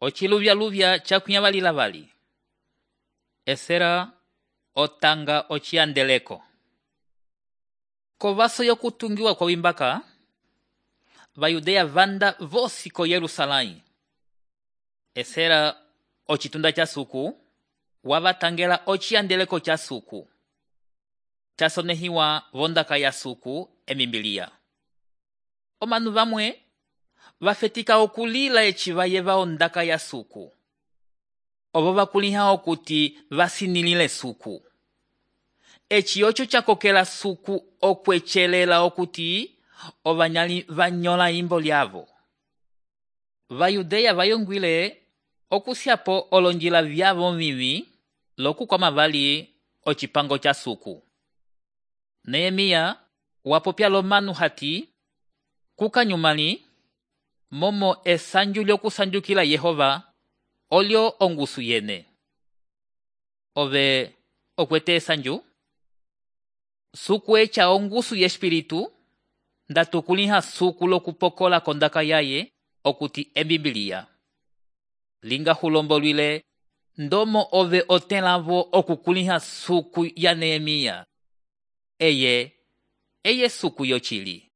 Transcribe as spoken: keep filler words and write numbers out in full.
Ociluvya-luvya cakunyavalila vali. Esera otanga ociyandeleko. Kovaso yokutungiwa kwa wimbaka, vayudeya vanda vosi ko Yerusalém. Esera ocitunda ca suku, wavatangela ociyandeleko ca suku. Casonehiwa vondaka ya suku emimbilia. Omanu vamwe vafetika okulila eci vayeva ondaka ya suku. Ovo vakuliha okuti vasinilile suku. Eci ocho cakokela suku okwecelela okuti ovanyali vanyola imbo lyavo. Vayudeya vayongwile okusyapo olonjila vyavo mivi lokukwama vali ocipango ca suku. Nehemia wapopya lomanu hati kukanyumali momo esanju lyokusanjukila Yehova olyo ongusu yene. Ove okwete esanju? Suku echa ongusu yespiritu ndatukuliha suku lokupokola kondaka yaye okuti embibilia. Linga hulombolwile ndomo ove otelavo okukuliha suku ya Nehemia. Eye, eye suku yochili.